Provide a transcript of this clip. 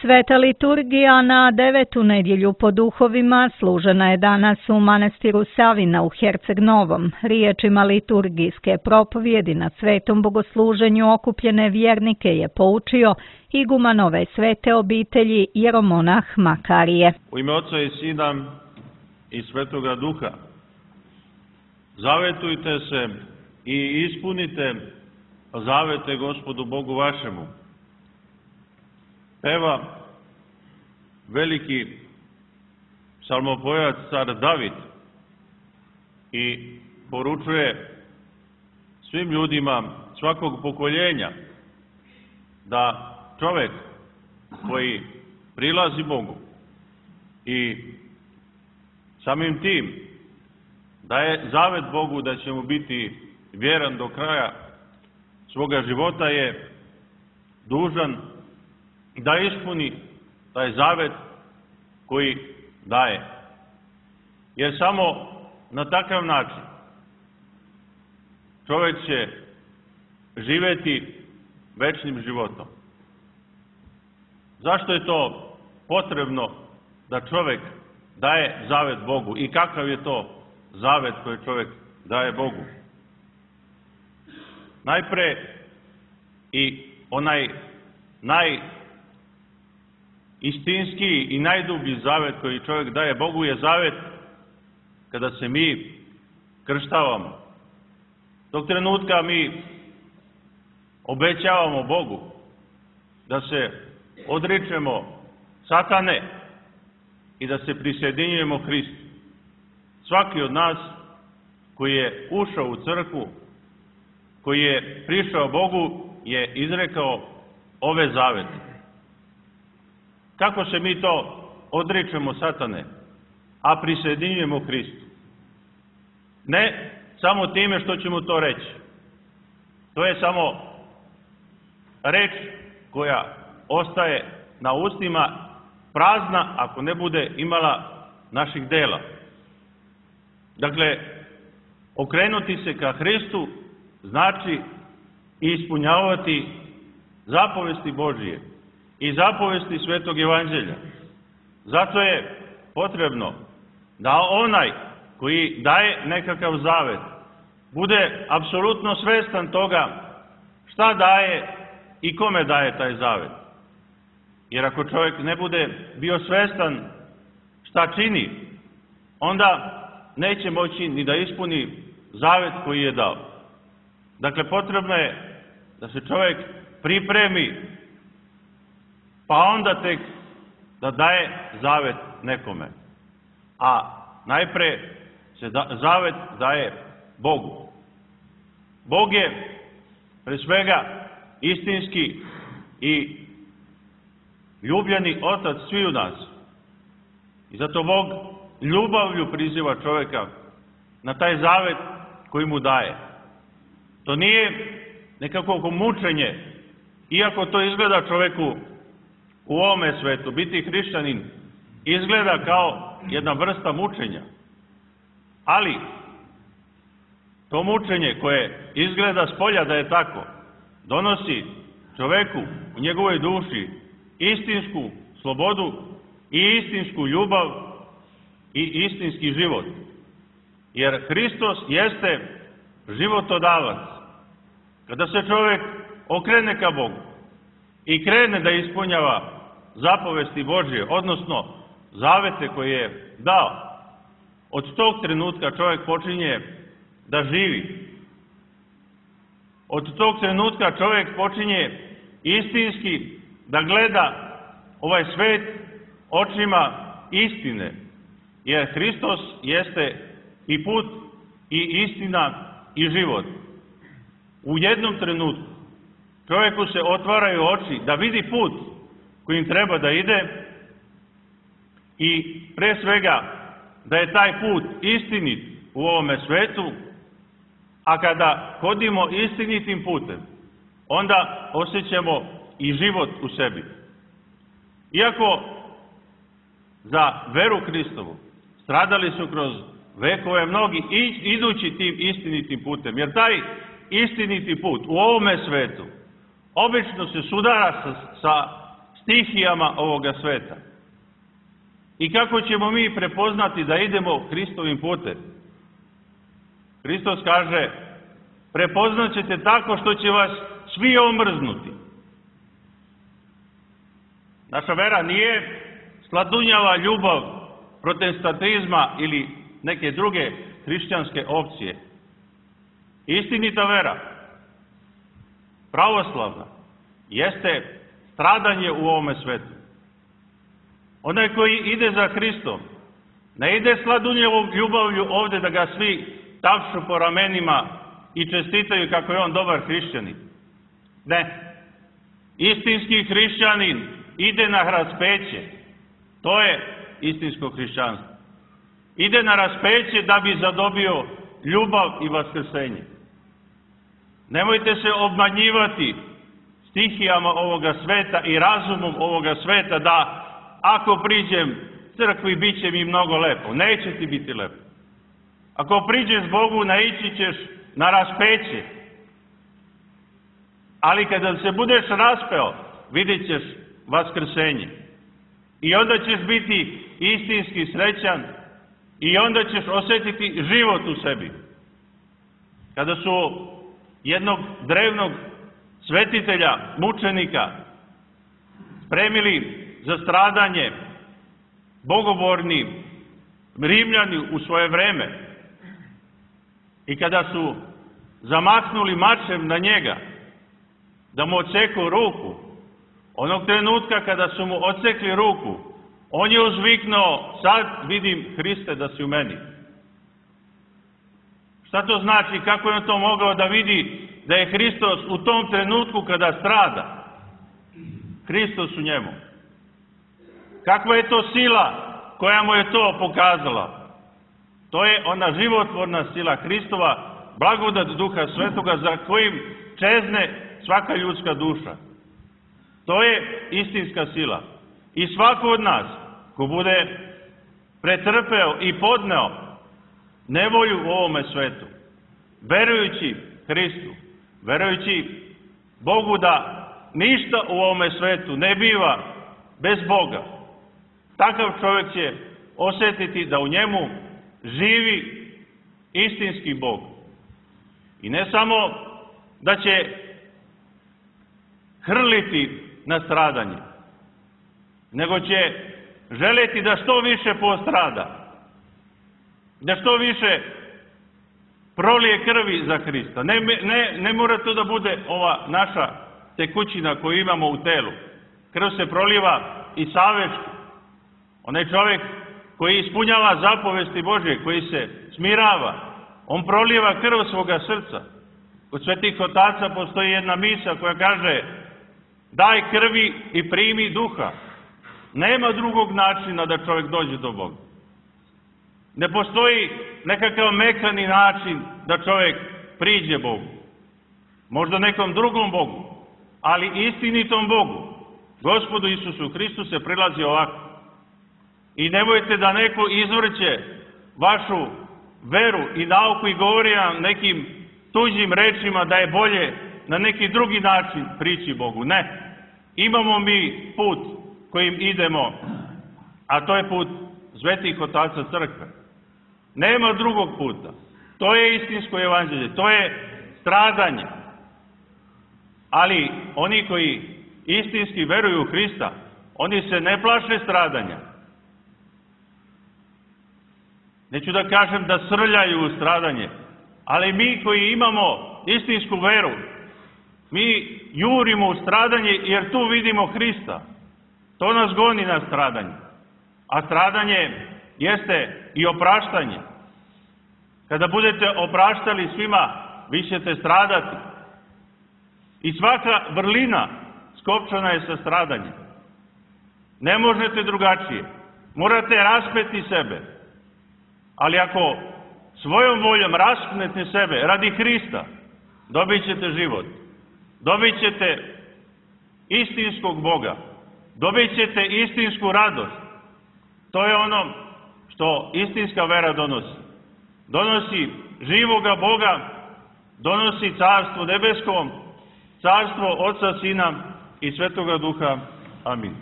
Sveta liturgija na 9. nedjelju po duhovima služena je danas u manastiru Savina u Herceg Novom. Riječima liturgijske propovjedi na svetom bogosluženju okupljene vjernike je poučio iguman ove svete obitelji jeromonah Makarije. U ime Oca i Sina i Svetoga Duha, zavetujte se i ispunite zavete Gospodu Bogu vašemu. Peva veliki psalmopojac car David i poručuje svim ljudima svakog pokoljenja da čovjek koji prilazi Bogu i samim tim daje zavet Bogu da će mu biti vjeran do kraja svoga života je dužan da ispuni taj zavet koji daje. Jer samo na takav način čovjek će živjeti večnim životom. Zašto je to potrebno da čovjek daje zavet Bogu i kakav je to zavet koji čovjek daje Bogu? Najpre i onaj istinski i najdublji zavet koji čovjek daje Bogu je zavet kada se mi krštavamo. Tog trenutka mi obećavamo Bogu da se odričemo satane i da se prisjedinjujemo Hristu. Svaki od nas koji je ušao u crkvu, koji je prišao Bogu, je izrekao ove zavete. Kako se mi to odričemo satane, a prisjedinjujemo Hristu? Ne samo time što ćemo to reći. To je samo reč koja ostaje na ustima prazna ako ne bude imala naših dela. Dakle, okrenuti se ka Hristu znači ispunjavati zapovesti Božije i zapovesti Svetog Evanđelja. Zato je potrebno da onaj koji daje nekakav zavet bude apsolutno svestan toga šta daje i kome daje taj zavet. Jer ako čovjek ne bude bio svestan šta čini, onda neće moći ni da ispuni zavet koji je dao. Dakle, potrebno je da se čovjek pripremi, pa onda tek da daje zavet nekome. A najpre se zavet daje Bogu. Bog je pre svega istinski i ljubljeni otac sviju nas. I zato Bog ljubavlju priziva čovjeka na taj zavet koji mu daje. To nije nekako mučenje, iako to izgleda čovjeku u ovome svetu. Biti hrišćanin izgleda kao jedna vrsta mučenja. Ali to mučenje koje izgleda spolja da je tako, donosi čovjeku u njegovoj duši istinsku slobodu i istinsku ljubav i istinski život. Jer Hristos jeste životodavac. Kada se čovjek okrene ka Bogu i krene da ispunjava zapovesti Božje, odnosno zavete koje je dao, od tog trenutka čovjek počinje da živi. Od tog trenutka čovjek počinje istinski da gleda ovaj svet očima istine. Jer Hristos jeste i put i istina i život. U jednom trenutku čovjeku se otvaraju oči da vidi put kojim treba da ide i pre svega da je taj put istinit u ovome svetu, a kada hodimo istinitim putem, onda osjećamo i život u sebi. Iako za veru Hristovu stradali su kroz vekove mnogi idući tim istinitim putem, jer taj istiniti put u ovome svetu obično se sudara sa stihijama ovoga sveta. I kako ćemo mi prepoznati da idemo Hristovim putem? Hristos kaže, prepoznat ćete tako što će vas svi omrznuti. Naša vera nije sladunjava ljubav protestantizma ili neke druge hrišćanske opcije. Istinita vera, pravoslavna, jeste stradanje u ovome svetu. Onaj koji ide za Hristom, ne ide sladunjevom ljubavlju ovdje da ga svi tapšu po ramenima i čestitaju kako je on dobar hrišćanin. Ne. Istinski hrišćanin ide na raspeće. To je istinsko hrišćanstvo. Ide na raspeće da bi zadobio ljubav i vaskrsenje. Nemojte se obmanjivati stihijama ovoga sveta i razumom ovoga sveta da ako priđem crkvi bit će mi mnogo lepo. Neće ti biti lepo. Ako priđeš Bogu naići ćeš na raspeće. Ali kada se budeš raspeo vidjet ćeš vaskrsenje. I onda ćeš biti istinski srećan i onda ćeš osjetiti život u sebi. Kada su jednog drevnog svetitelja, mučenika, spremili za stradanje bogoborni Rimljani u svoje vreme i kada su zamahnuli mačem na njega da mu odseku ruku, onog trenutka kada su mu odsekli ruku, on je uzviknuo, sad vidim Hriste da si u meni. Šta to znači? Kako je on to mogao da vidi da je Hristos u tom trenutku kada strada? Hristos u njemu. Kakva je to sila koja mu je to pokazala? To je ona životvorna sila Hristova, blagodat Duha Svetoga za kojim čezne svaka ljudska duša. To je istinska sila. I svako od nas ko bude pretrpeo i podneo nevolju u ovome svetu, verujući Hristu, verujući Bogu da ništa u ovome svetu ne biva bez Boga, takav čovjek će osjetiti da u njemu živi istinski Bog. I ne samo da će hrliti na stradanje, nego će želeti da što više postrada, da što više prolije krvi za Hrista. Ne mora to da bude ova naša tekućina koju imamo u telu. Krv se proliva i savečki. Onaj čovjek koji ispunjava zapovesti Božje, koji se smirava, on proliva krv svoga srca. Kod svetih otaca postoji jedna misa koja kaže daj krvi i primi duha. Nema drugog načina da čovjek dođe do Boga. Ne postoji nekakav mekani način da čovjek priđe Bogu. Možda nekom drugom Bogu, ali istinitom Bogu, Gospodu Isusu Hristu se prilazi ovako. I nemojte da neko izvrće vašu veru i nauku i govori vam nekim tuđim rečima da je bolje na neki drugi način prići Bogu. Ne. Imamo mi put kojim idemo, a to je put svetih otaca crkve. Nema drugog puta. To je istinsko evanđelje, to je stradanje. Ali oni koji istinski veruju u Hrista, oni se ne plaše stradanja. Neću da kažem da srljaju u stradanje, ali mi koji imamo istinsku veru, mi jurimo u stradanje jer tu vidimo Hrista. To nas goni na stradanje. A stradanje jeste i opraštanje. Kada budete opraštali svima, vi ćete stradati. I svaka vrlina skopčana je sa stradanjem. Ne možete drugačije. Morate raspeti sebe. Ali ako svojom voljom raspnete sebe radi Hrista, dobit ćete život. Dobit ćete istinskog Boga. Dobit ćete istinsku radost. To je ono što istinska vera donosi. Donosi živoga Boga, donosi carstvo nebeskom, carstvo Oca, Sina i Svetoga Duha. Amin.